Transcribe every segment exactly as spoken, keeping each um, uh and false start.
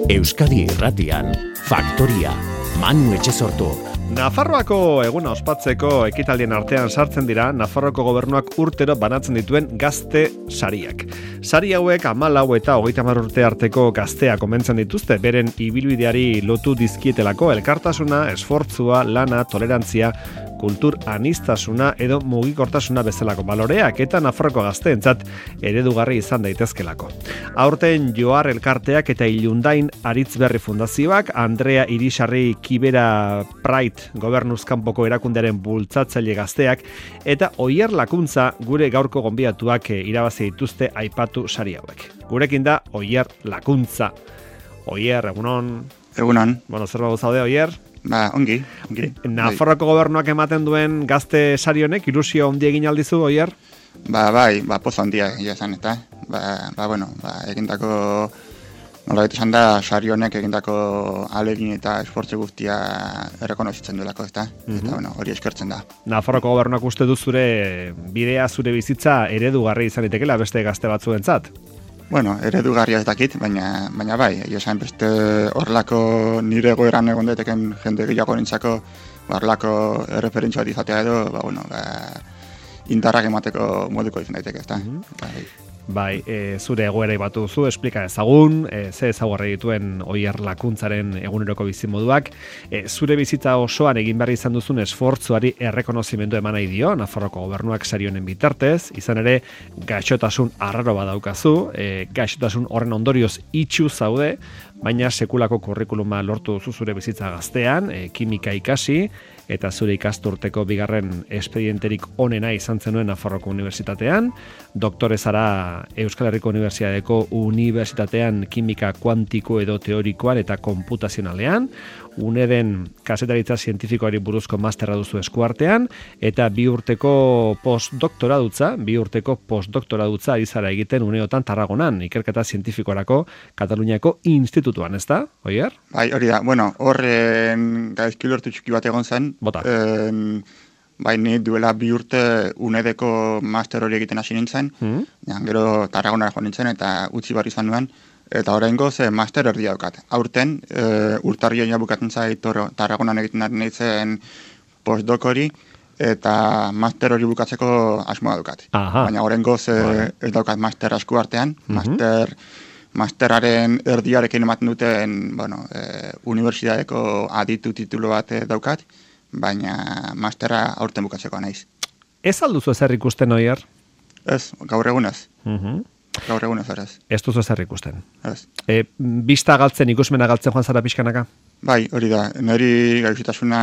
Euskadi Irratian, Faktoria, Manu Etxesortu. Nafarroako eguna ospatzeko ekitaldien artean sartzen dira Nafarroako gobernuak urtero banatzen dituen gazte sariak. Sari hauek hamalau eta hogeita hamar urte arteko gazteak omentzen dituzte, beren ibilbideari lotu dizkietelako elkartasuna, esfortzua, lana, tolerantzia, kultur anistasuna edo mugikortasuna bezalako baloreak eta Nafarroko gazteentzat eredugarri izan daitezkelako. Aurten Joar elkarteak eta Ilundain Aritzberri Fundazioak, Andrea Irisarri Kibera Pride gobernuzkanpoko erakundearen bultzatzaile gazteak eta Oier Lakuntza gure gaurko gonbidatuak irabazi dituzte aipatu sari hauek. Gurekin da Oier Lakuntza. Oier, egunon. Egunon. Bueno, zer bago zaude, Oier? Ba, ongi, ongi. Nafarroako gobernuak ematen duen gazte sari honek ilusio handi egin aldizu, Oier? Ba, bai, ba, pozo handia egia esan, eta, ba, ba, bueno, ba, egindako, nola bete esan da, sari honek egindako alegin eta esfortze guztia errekonozitzen duelako, eta, mm-hmm. eta, bueno, hori eskertzen da. Nafarroako gobernuak uste du zure bidea, zure bizitza eredugarri izan itekela beste gazte batzuentzat? Bueno, eredugarria ez dakit, baina, baina bai, esan beste horrelako nire egoeran egon daiteken jende gehiago nintzako, horrelako erreferentzia bat izatea edo, ba, bueno, ba, indarrak emateko moduko izan daiteke, ezta? Mm-hmm. Bai. Bai, e, zure egoera batu zu, esplika ezagun, e, ze ezaguarri dituen Oier Lakuntzaren eguneroko bizimoduak, e, zure bizitza osoan egin behar izan duzun esfortzuari errekonozimendu eman nahi dio, Nafarroko gobernuak sari honen bitartez, izan ere gaixotasun arraro badaukazu, e, gaixotasun horren ondorioz itxu zaude, baina sekulako kurrikuluma lortu duzu zure bizitza gaztean, e, kimika ikasi, eta zure ikasturteko bigarren espedienterik onena izan zenuen Nafarroko Unibertsitatean, doktore zara Euskal Herriko Unibertsitateko Unibertsitatean kimika kuantiko edo teorikoan eta konputazionalean, UNEDen kasetaritza zientifikoari buruzko masterra duzu eskuartean, eta bi urteko postdoktoradutza, bi urteko postdoktoradutza ari zara egiten uneotan Tarragonan, ikerketa zientifikorako Kataluniako institutuan, ez da, Oier? Bai, hori da, bueno, horren gaizki lortu txiki bat egon zen, Bota. En, bai, ni duela bi urte UNEDeko master hori egiten hasi nintzen, mm. ja, gero Tarragonara joan nintzen eta utzi bar izan nuen, eta oraingoz e, master erdia daukat. Aurten, e, urtarrioa bukatzen zait Tarragonan egiten ari nintzen postdoc hori, eta master hori bukatzeko asmoa daukat. Aha. Baina oraingoz e, ez daukat master asku artean, mm-hmm. master... Masteraren erdiarekin ematen duten, bueno, e, unibertsitateko aditu titulu bat daukat, baina mastera aurten bukatzeko naiz. Ez alduzu ezer ikusten, Oier? Ez, gaur egunez. Uh-huh. Gaur egunez, ez. Ez duzu ezer ikusten. Ez. E, bista galtzen, ikusmena galtzen joan zara pixkanaka? Bai, hori da. Neri gaixotasuna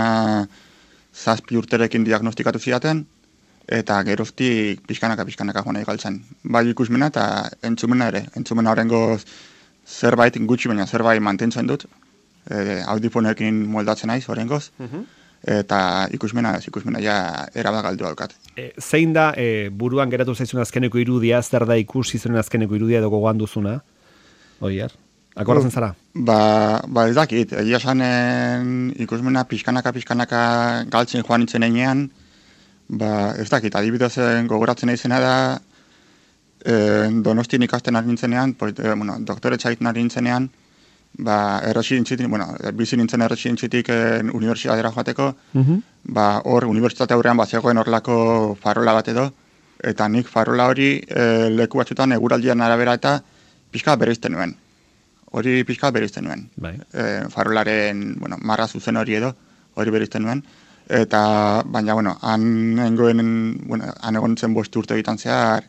zazpi urterekin diagnostikatu zidaten, eta geroztik pixkanaka, pixkanaka joan nahi galtzen. Bai ikusmena eta entzumena ere. Entzumena horrengo zerbait gutxi, baina zerbait mantentzen dut. E, audifonekin moldatzen naiz horrengoz. Uh-huh. Eta ikusmena, ez ikusmena ja eraba galdu daukat. E, zein da e, buruan geratu zaizun azkeneko irudia, zer da ikusi zuen azkeneko irudia edo gogoan duzuna? Oier? Akordatzen zara? Ba, ba ez dakit. Egia sanen ikusmena pixkanaka, pixkanaka galtzen joan nintzen enean, ba, ez dakit, adibidez gogoratzen izena da, e, Donostin ikasten ari nintzenean, pues, e, bueno, doktore txaiten ari nintzenean, ba, erresidentzitik, bueno, bizi nintzen erresidentzitik unibertsitatera joateko, uh-huh. ba, hor, unibertsitate aurrean bat zegoen horrelako farola bat edo, eta nik farola hori e, leku batzutan eguraldian arabera eta pixka bereizten nuen. Hori pixka bereizten nuen. Bai. E, farolaren, bueno, marra zuzen hori edo, hori bereizten nuen. Eta, baina, bueno, han nengoen, bueno, han egon zen bost urte egiten zehar,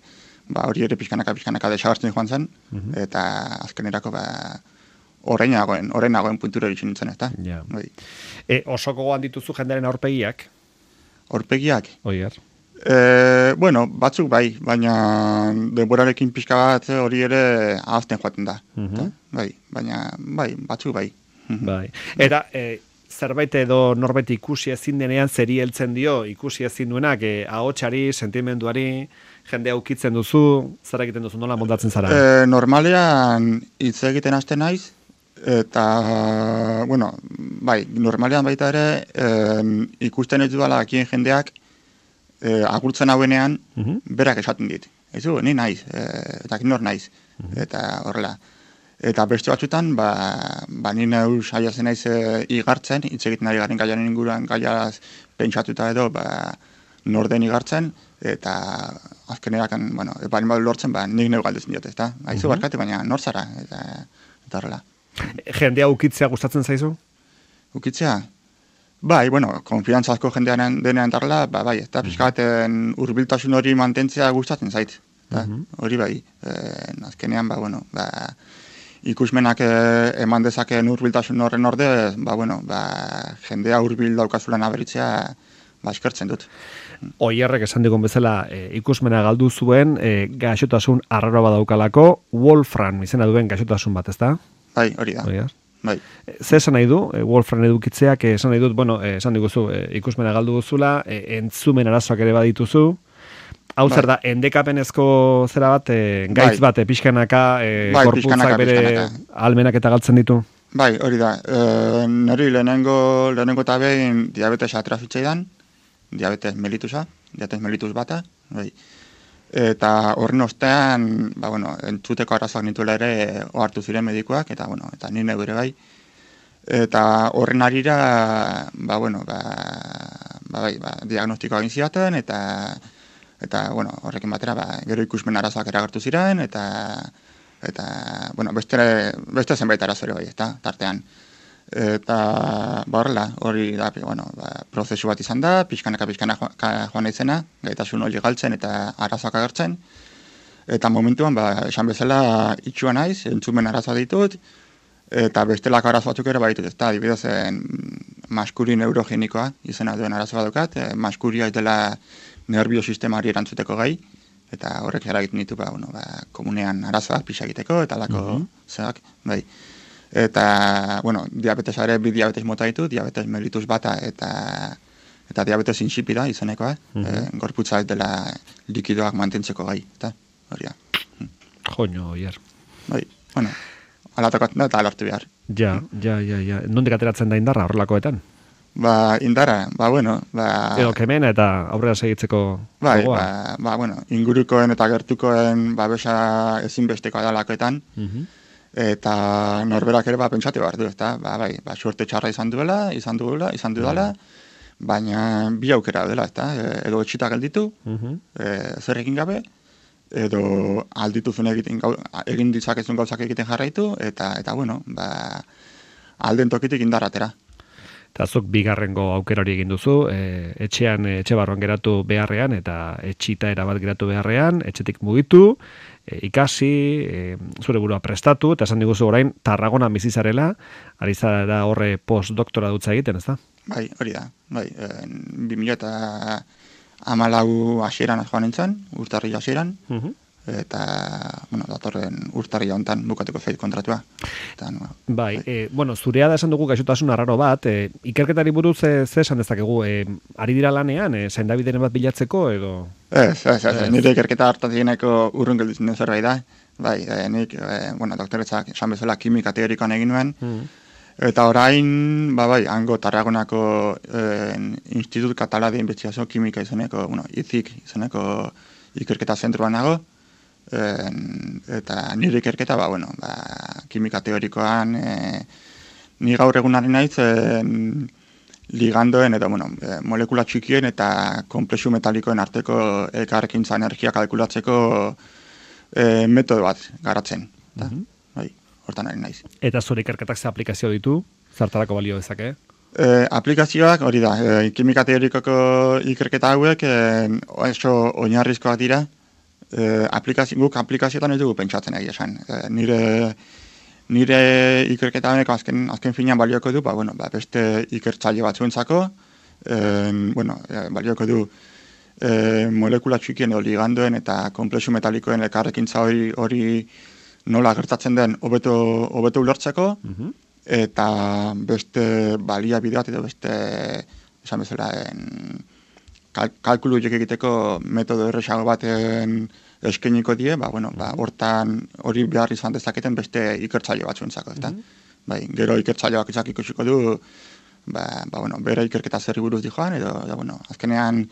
ba, hori ere pixkanaka, pixkanaka desagartzen joan zen, uh-huh. eta azkenerako, ba, horrein nagoen, horrein nagoen puntura eritxin nintzen, ezta? Ja. E, oso gogoan dituzu jendearen aurpegiak? Aurpegiak? Oier. E, bueno, batzuk bai, baina denborarekin pixka bat hori ere ahazten joaten da. Uh-huh. Bai, baina, bai, batzuk bai. Bai. Eta, e, zerbait edo norbait ikusi ezin denean zeri heltzen dio, ikusi ezin duenak, e, ahotsari, sentimenduari, jende aukitzen duzu, zer egiten duzu, nola moldatzen zara? E, normalean hitz egiten hasten naiz, eta, bueno, bai, normalean baita ere, e, ikusten ez duela akien jendeak, e, agurtzen hauenean, uh-huh. berak esaten dit. Ez du, ni naiz, e, eta nor naiz, uh-huh. eta horrela. Eta beste batzutan, ba, ba ni neu saiatzen naiz igartzen, hitz egiten ari garen gaiaren inguruan gaiaz pentsatuta edo, ba, norden igartzen, eta azkenerakan, bueno, balin badu lortzen, ba, nik neu galdetzen diote, ezta? Aizu barkatu, baina nor zara, eta, eta horrela. Jendea ukitzea gustatzen zaizu? Ukitzea? Bai, bueno, konfiantzazko jendean denean tarla, ba, bai, eta pixkaten hurbiltasun hori mantentzea gustatzen zait. Eta, hori bai, e, azkenean, ba, bueno, ba, ikusmenak e, eman dezakeen hurbiltasun horren ordez, ba, bueno, ba, jendea hurbil daukazulan aberitzea, ba, eskertzen dut. Oierrek esan digun bezala e, ikusmena galdu zuen, e, gaixotasun arraro badaukalako, Wolfram izena duen gaixotasun bat, ezta? Bai, hori da. Hori da. Bai. Ze esan nahi du, e, Wolfram edukitzeak, e, esan nahi dut, bueno, e, esan diguzu, e, ikusmena galdu duzula, e, entzumen arazoak ere badituzu, hau bai. Zer da, endekapenezko zera bat, e, gaitz bai. bat, e, pixkanaka, e, bai, korputzak pixkanaka, bere pixkanaka. Almenak eta galtzen ditu? Bai, hori da. E, neri lehenengo, lehenengo eta behin diabetesa atrafitzeidan, diabetes mellitusa, diabetes mellitus bata, bai. Eta horren ostean, ba, bueno, entzuteko arazoak nituela ere ohartu ziren medikuak, eta, bueno, eta nire ere bai. Eta horren arira, ba, bueno, ba, ba, bai, ba, diagnostikoa egin zidaten, eta, eta, bueno, horrekin batera, ba, gero ikusmen arazoak eragertu ziren, eta, eta, bueno, beste, beste zenbait arazore bai, eta, tartean. Eta, ba, horrela, hori da, bueno, ba, prozesu bat izan da, pixkanaka pixkanaka joan naizena, gaitasun hori galtzen eta arazoak agertzen. Eta momentuan, ba, esan bezala itxua naiz, entzumen arazoa ditut, eta bestelako arazo batzuk ere baditut, ezta, adibidez, maskuri neurogenikoa izena duen arazo badukat, e, maskuria ez dela nerbiosistemari erantzuteko gai, eta horrek eragiten ditu, ba, bueno, ba, komunean arazoak pixa egiteko, eta lako mm-hmm. zeak, bai. Eta, bueno, diabetesa ere bi diabetes mota ditu, diabetes mellitus bata eta eta diabetes insipida izenekoa, mm-hmm. e, gorputza ez dela likidoak mantentzeko gai, eta hori da. Joño, oier. Bai, bueno, alatokatzen da eta alartu behar. Ja, ja, ja, ja. Nondik ateratzen da indarra horrelakoetan? Ba, indarra, ba, bueno, ba... Edo kemena eta aurrera segitzeko bai, ba, ba, bueno, ingurukoen eta gertukoen babesa ezinbestekoa da lakoetan, mm-hmm. Eta norberak ere ba, pentsatu behar du, ezta? Ba, bai, ba, suerte txarra izan duela, izan duela, izan dudala, baina bi aukera dela, ezta? E, edo etxita gelditu, uh-huh. e, zer egin gabe, edo aldituzun egiten, egin ditzakezun gauzak egiten jarraitu, eta, eta bueno, ba, alden tokitik indarratera. Eta zuk bigarrengo aukera hori egin duzu, e, etxean, etxe barruan geratu beharrean, eta etxita erabat geratu beharrean, etxetik mugitu, e, ikasi, e, zure burua prestatu, eta esan diguzu orain, Tarragona bizizarela, ari zara horre postdoktora dutza egiten, ez da? Bai, hori da, bai, e, bi mila eta hamalau hasieran joan nintzen, urtarri hasieran, uh-huh. eta, bueno, datorren urtarri honetan bukatuko zait kontratua. Eta, no, bai, bai. E, bueno, zurea da esan dugu gaixotasun arraro bat, e, ikerketari buruz e, ze esan dezakegu, e, ari dira lanean, e, zaindabideren bat bilatzeko, edo? Ez, ez, ez, ez. Nire ikerketa hartatieneko urrun gelditzen den zerbait da. Bai, e, nik, e, bueno, doktoretzak esan bezala kimika teorikoan egin nuen, mm. eta orain, ba, bai, hango Tarragonako e, Institut Català de Investigación Química izeneko, bueno, I C I C izeneko ikerketa zentroan nago, En, eta nire ikerketa, ba, bueno, ba, kimika teorikoan, e, ni gaur egunaren naiz, e, ligandoen, eta, bueno, e, molekula txikien eta konplexu metalikoen arteko elkarrekintza energia kalkulatzeko e, metodo bat garatzen. Eta, mm-hmm. bai, hortan ari naiz. Eta zure ikerketak ze aplikazio ditu? Zertarako balio dezake? E, aplikazioak, hori da, e, kimika teorikoko ikerketa hauek, e, oso oinarrizkoak dira, Eh, aplikazio, guk aplikazioetan ez dugu pentsatzen egia esan. Eh, nire, nire ikerketa honeko azken, azken finean balioko du, ba, bueno, ba, beste ikertzaile batzuentzako, eh, bueno, eh, balioko du eh, molekula txikien edo ligandoen eta konplexu metalikoen elkarrekintza hori hori nola gertatzen den hobeto hobeto ulertzeko, uh-huh. eta beste baliabide bat edo beste, esan bezala, en, kalkulu horiek egiteko metodo erresago baten eskeniko die, ba, bueno, ba, hortan hori behar izan dezaketen beste ikertzaile batzuentzako, ezta? Mm-hmm. Bai, gero ikertzaileak izak ikusiko du, ba, ba, bueno, bere ikerketa zerri buruz di joan, edo, da, bueno, azkenean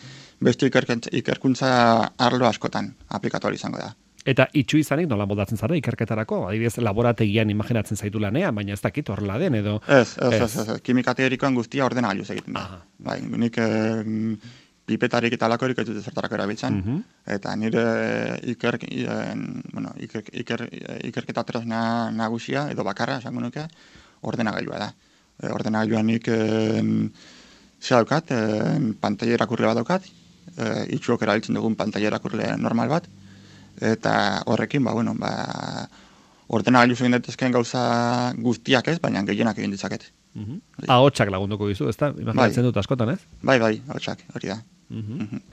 beste ikerkuntza arlo askotan aplikatu izango da. Eta itxu izanik nola moldatzen zara ikerketarako? Adibidez, laborategian imaginatzen zaitu lanean, baina ez dakit horrela den edo... Ez, ez, ez, ez, ez. Kimika teorikoan guztia ordenagailuz egiten da. Aha. Bai, nik eh, pipetarik eta alakorik ez dut zertarako erabiltzen. Mhm. Eta nire iker, en, bueno, iker, iker, ikerketa tresna nagusia, edo bakarra, esango nuke, ordenagailua da. E, ordenagailua nik en, zea daukat, en, pantaila irakurle bat daukat, e, itxuok erabiltzen dugun pantaila irakurle normal bat, eta horrekin, ba, bueno, ba, ordenagailuz egin daitezkeen gauza guztiak ez, baina gehienak egin ditzaket. Mhm. Ahotsak lagunduko dizu, ezta? Imaginatzen dut askotan, ez? Bai, bai, ahotsak, hori da. Mhm. Mhm.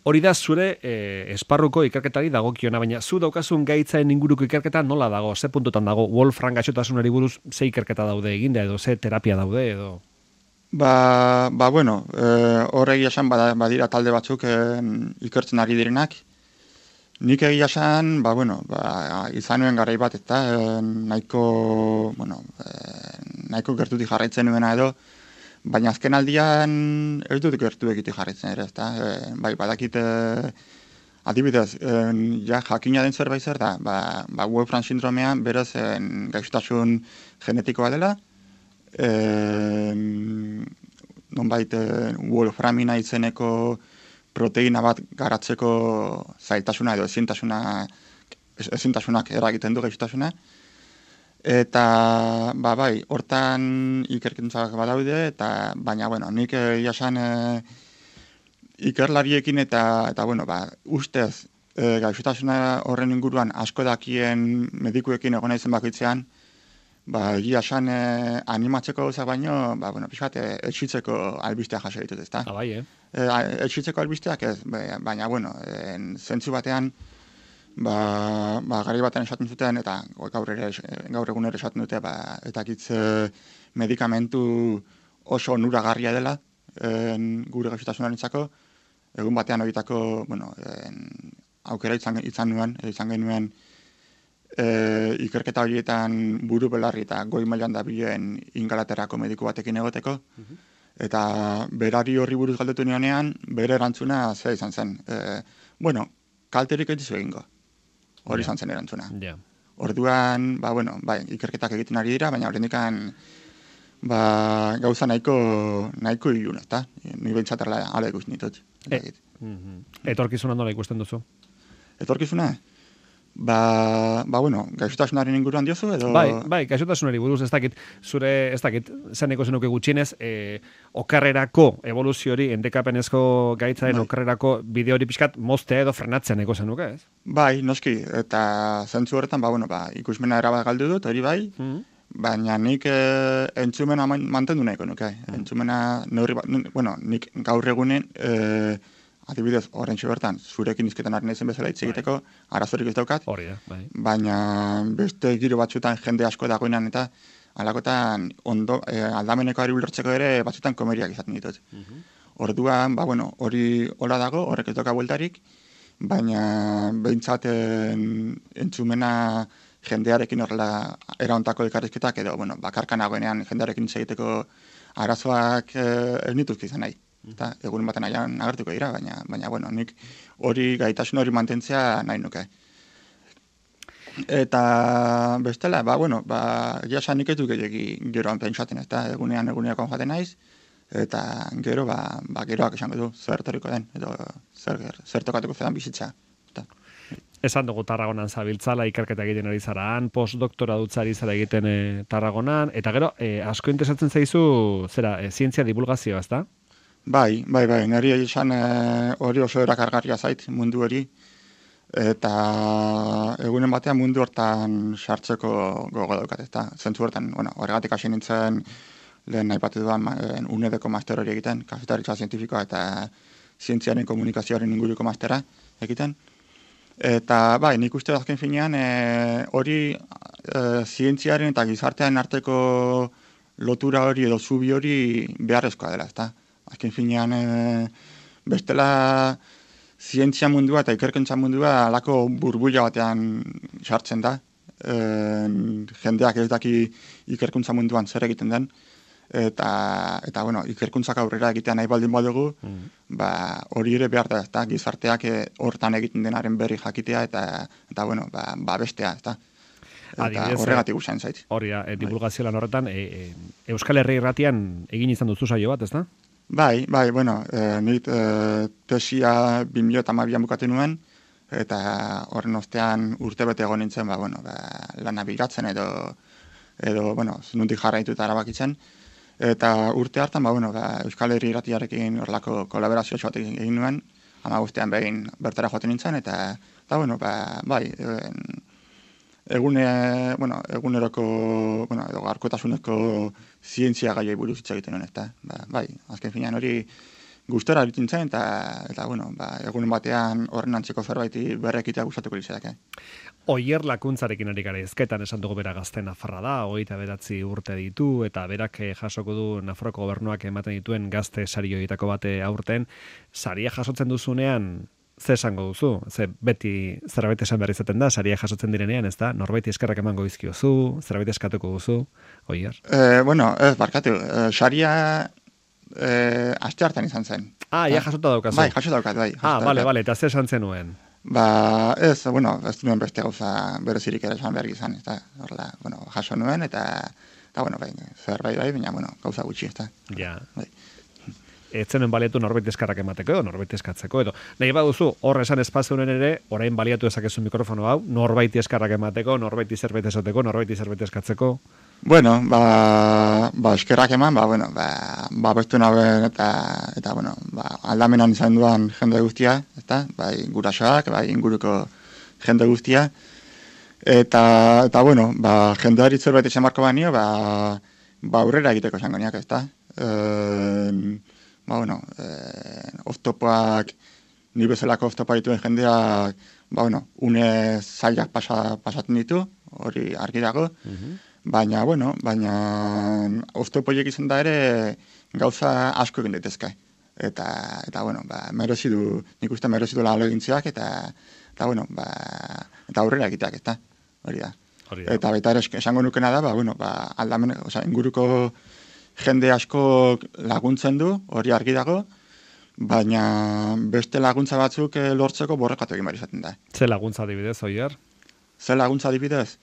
Hori da zure eh, esparruko ikerketari dagokiona, baina zu daukazun gaitzaen inguruko ikerketa nola dago? Ze puntutan dago? Wolfram gaixotasunari buruz ze ikerketa daude eginda edo ze terapia daude edo? Ba, ba bueno, e, horregi esan bada, badira talde batzuk e, ikertzen ari direnak. Nik egia esan, ba, bueno, ba, izan nuen garai bat, eta e, nahiko, bueno, e, nahiko gertutik jarraitzen nuena edo, baina azken aldian ez dut gertu egitik jarraitzen ere, ezta? E, bai, badakit, e, adibidez, e, ja jakina den zerbait zer da, ba, ba Wolfram sindromean berez e, gaixotasun genetikoa dela, e, nonbait e, Wolframina izeneko proteina bat garatzeko zailtasuna edo ezintasuna, ezintasunak eragiten du gaixotasuna. Eta, ba bai, hortan ikerkentzak badaude, eta baina, bueno, nik egia esan e, ikerlariekin eta, eta bueno, ba, ustez e, gaixotasuna horren inguruan asko dakien medikuekin egon naizen bakoitzean, ba, egia esan e, animatzeko gauzak baino, ba, bueno, pixkat, e, etxitzeko albisteak jaso ditut, ezta? Ah, bai, eh? E, etxitzeko albisteak ez, baina, bueno, en, zentzu batean, ba, ba, gari batean esaten zuten, eta gaur, ere, gaur egun ere esaten dute, ba, eta kitz medikamentu oso onuragarria dela, en, gure gaixotasunarentzako, egun batean horietako, bueno, en, aukera izan, izan nuen, izan genuen, e, ikerketa horietan buru belarri eta goi mailan dabilen Ingalaterrako mediku batekin egoteko, uh-huh. Eta berari horri buruz galdetu nionean, bere erantzuna zera izan zen. E, bueno, kalterik ez dizu egingo. Hori izan zen erantzuna. Yeah. Orduan, ba, bueno, bai, ikerketak egiten ari dira, baina horrendikan ba, gauza nahiko, nahiko ilun, ezta? Ni bentsatela ala ikusten ditut. E, mm-hmm. Etorkizuna nola ikusten duzu? Etorkizuna? Ba, ba, bueno, gaixotasunaren inguruan diozu, edo... Bai, bai, gaixotasunari buruz, ez dakit, zure, ez dakit, zeneko zenuke gutxienez, e, okarrerako evoluziori, endekapenezko gaitzaren bai. Okarrerako bideo hori pixkat moztea edo frenatzen eko zenuke, ez? Bai, noski, eta zentzu horretan, ba, bueno, ba, ikusmena erabat galdu dut, hori bai, mm-hmm. Baina nik e, entzumena mantendu nahiko nuke, mm-hmm. Entzumena, neurri bat, bueno, nik gaur egunen, e, adibidez, horrentxe bertan, zurekin izketan ari naizen bezala hitz egiteko, bai. Arazorik ez daukat, hori da, bai. Baina beste giro batzutan jende asko dagoenan eta alakotan ondo, e, aldameneko ari ulertzeko ere batzutan komeriak izaten ditut. Uh-huh. Orduan, ba, bueno, hori hola dago, horrek ez doka bueltarik, baina behintzaten entzumena jendearekin horrela eraontako elkarrizketak edo, bueno, bakarka nagoenean jendearekin hitz egiteko arazoak e, ez nituzki izan nahi. Eta egun baten aian agertuko dira, baina, baina bueno, nik hori gaitasun hori mantentzea nahi nuke. Eta bestela, ba, bueno, ba, egia nik ez du gehiagi geroan pentsatzen, eta egunean eguneakoan jaten naiz, eta gero, ba, ba geroak esango du, zer toriko den, edo zer, zer tokatuko zedan bizitza. Eta. Esan dugu Tarragonan zabiltzala, ikerketa egiten ari zaraan, postdoktora dutzari zara egiten e, Tarragonan, eta gero, e, asko interesatzen zaizu, zera, e, zientzia divulgazioa, ez da? Bai, bai, bai, niri esan hori e, oso erakargarria zait mundu hori, eta egunen batean mundu hortan sartzeko gogo daukat, eta zentzu hortan, bueno, horregatik hasi nintzen lehen nahi bat dudan U N E D-ko master hori egiten, kazetaritza zientifikoa eta zientziaren komunikazioaren inguruko mastera egiten. Eta bai, nik uste azken finean e, hori e, zientziaren eta gizartean arteko lotura hori edo zubi hori beharrezkoa dela, ezta? Azken finean, e, bestela zientzia mundua eta ikerkentza mundua alako burbuila batean sartzen da. E, jendeak ez daki ikerkuntza munduan zer egiten den. eta, eta bueno, ikerkuntzak aurrera egitea nahi baldin badugu, mm. ba, hori ere behar da, ezta, gizarteak hortan egiten denaren berri jakitea, eta, eta bueno, ba, ba bestea, ezta. Eta horregatik usain zait. Hori da, e, divulgazio lan horretan, e, e, Euskal Herri Irratian egin izan duzu saio bat, ezta? Bai, bai, bueno, e, nit e, tesia bi mila hamabian bukatu nuen, eta horren ostean urte bete egon nintzen, ba, bueno, ba, lana bilatzen edo, edo, bueno, nuntik jarraitu eta arabakitzen. Eta urte hartan, ba, bueno, ba, Euskal Herri Irratiarekin horrelako kolaborazio bat egin nuen, ama guztian behin bertara joaten nintzen, eta, eta bueno, ba, bai, en, egune, bueno, eguneroko, bueno, edo garkotasuneko zientzia gaiei buruz hitz egiten nuen, eta, ba, bai, azken finean hori gustora egiten zen, eta, eta, bueno, ba, egunen batean horren antzeko zerbaiti berrekitea gustatuko litzateke. Oier Lakuntzarekin ari gara ezketan esan dugu bera gazte Nafarra da, hogeita bederatzi urte ditu, eta berak jasoko du Nafarroko gobernuak ematen dituen gazte sari horietako bate aurten, saria jasotzen duzunean, ze esango duzu? Ze beti zerbait esan behar izaten da, saria jasotzen direnean, ez da? Norbaiti eskerrak emango dizkiozu, zerbait eskatuko duzu, Oier? Eh, bueno, ez, barkatu, eh, saria eh, aste hartan izan zen. Ah, ja jasota daukazu. Bai, jasota daukat, bai. Ah, bale, bale, eta ze esan zenuen? Ba, ez, bueno, ez nuen beste gauza berezirik ere esan behar izan, ez da, horrela, bueno, jaso nuen, eta, eta bueno, bai, zerbait bai, baina, bueno, gauza gutxi, ez da. Ja. Bai. Ez zenuen baliatu norbait eskarrak emateko edo norbait eskatzeko edo. Nahi baduzu, hor esan espazioen ere, orain baliatu ezakezu mikrofono hau, norbait eskarrak emateko, norbait zerbait esateko, norbait zerbait eskatzeko. Bueno, ba, ba eskerrak eman, ba, bueno, ba, ba bestu naben eta, eta, bueno, ba, aldamenan izan duan jende guztia, eta, bai, gurasoak, bai, inguruko jende guztia, eta, eta, bueno, ba, jendeari zerbait esan marko banio, ba, ba, aurrera egiteko esango niak, ez da. E, ba, bueno, e, oztopoak, ni bezalako oztopa dituen jendeak, ba, bueno, une zailak pasa, pasatzen ditu, hori argi dago, mm-hmm. Baina, bueno, baina oztopoiek izan da ere gauza asko egin daitezke. Eta, eta bueno, ba, merezi du, nik uste merezi du lalo egintziak, eta, eta, bueno, ba, eta aurrera egiteak, eta hori da. Hori da. Eta baita ere esango nukena da, ba, bueno, ba, aldamen, oza, inguruko jende asko laguntzen du, hori argi dago, baina beste laguntza batzuk lortzeko borrekatu egin behar izaten da. Ze laguntza adibidez, Oier? Ze laguntza adibidez?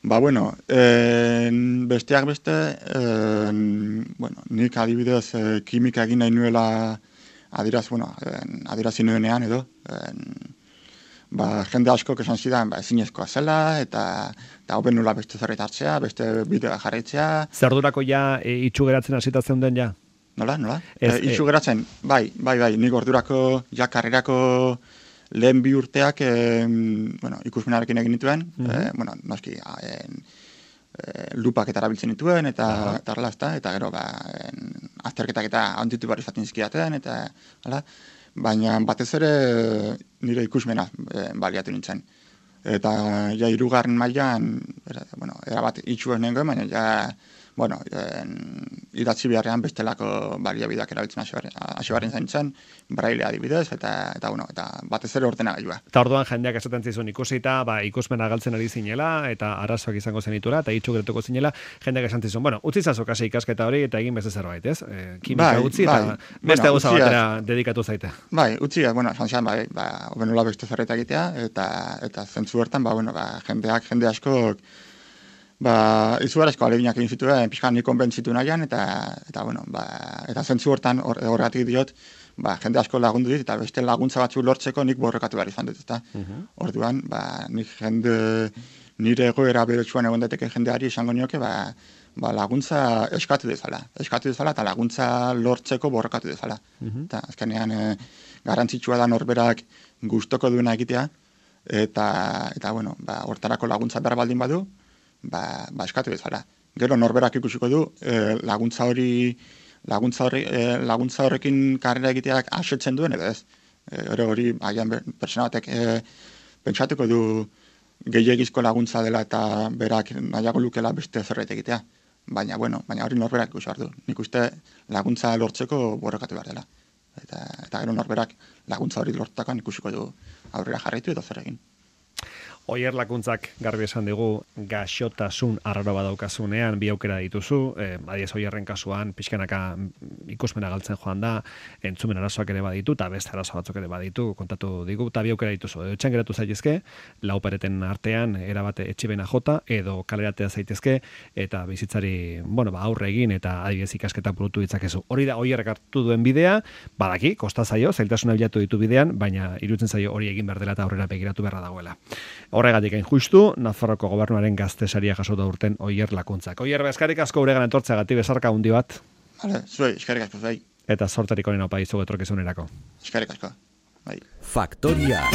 Ba, bueno, en, besteak beste, en, bueno, nik adibidez e, kimika egin nahi nuela adiraz, bueno, en, adirazi nuenean edo, en, ba, jende asko esan zidan, ba, ezinezkoa zela, eta, eta hoben nula beste zerret hartzea, beste bidea jarraitzea. Zerdurako ja e, itxu geratzen hasita zeuden ja? Nola, nola? Ez, e, itxu geratzen, bai, bai, bai, nik ordurako, ja karrerako lehen bi urteak e, bueno, ikusmenarekin egin dituen, mm-hmm. e, bueno, noski, en, e, lupak eta erabiltzen dituen, eta uh-huh. eta horrela, eta gero, ba, en, azterketak eta handitu barri zaten izkiaten, eta, hala, baina batez ere nire ikusmena e, baliatu nintzen. Eta, ja, hirugarren mailan, era, bueno, erabat itxuen nengoen, baina, ja, bueno, en, idatzi beharrean bestelako baliabideak erabiltzen hasi barren zaintzen, braille adibidez, eta, eta, bueno, eta batez ere ordenagailua. Eta orduan jendeak esaten zizun ikusita, ba, ikusmena galtzen ari zinela, eta arazoak izango zenitula, eta itxu gertuko zinela, jendeak esan zizun, bueno, utzi zazu kasi ikasketa hori, eta egin beste zerbait, ez? E, kimika bai, utzi, bai, eta beste gauza bueno, batera dedikatu zaite. Bai, utzi, bueno, esan zian, bai, ba, obenula beste zerbait egitea, eta, eta zentzu bertan, ba, bueno, ba, jendeak, jende askok, ba, izugarrizko aleginak egin zituen, pixkan nik konbentzitu nahian, eta, eta, bueno, ba, eta zentzu hortan horregatik diot, ba, jende asko lagundu dit, eta beste laguntza batzuk lortzeko nik borrokatu behar izan dut, eta uh-huh. Orduan, ba, nik jende, nire egoera beretsuan egon daiteke jendeari esango nioke, ba, ba, laguntza eskatu dezala, eskatu dezala, eta laguntza lortzeko borrokatu dezala. Uh-huh. Eta azkenean, e, garrantzitsua da norberak gustoko duena egitea, eta, eta bueno, ba, hortarako laguntza behar baldin badu, Ba, ba eskatu bezala. Gero norberak ikusiko du e, laguntza hori laguntza horri e, laguntza horrekin karrera egiteak asetzen duen edo ez. Gero e, hori agian pertsona batek e, pentsatuko du gehiegizko laguntza dela eta berak nahiago lukela beste zerbait egitea. Baina bueno, baina hori norberak ikusi behar du. Nik uste laguntza lortzeko borrokatu behar dela. Eta eta gero norberak laguntza hori lortutakoan ikusiko du aurrera jarraitu edo zer egin. Oier lakuntzak garbi esan digu gaixotasun arraro badaukasunean bi aukera dituzu, eh, adiez Oierren kasuan pixkanaka ikusmena galtzen joan da, entzumen arazoak ere baditu, eta beste arazo batzuk ere baditu, kontatu digu, eta bi aukera dituzu. Edo etxan geratu zaitezke, lau pareten artean, erabate etxibena jota, edo kaleratea zaitezke, eta bizitzari, bueno, ba, aurre egin, eta adibidez ikasketak burutu ditzakezu. Hori da Oierrek hartu duen bidea, badaki, kosta zaio, zailtasuna bilatu ditu bidean, baina iruditzen zaio hori egin behar dela eta aurrera begiratu beharra dagoela. Horregatik hain justu, Nafarroko gobernuaren gaztesaria jasota urten Oier lakuntzak. Oier, eskerrik asko guregan etortzeagatik bezarka handi bat. Vale, zuei, eskerrik asko, bai. Eta sortarik honen opa izugu etorkizunerako. Eskerrik asko, bai. Faktoria.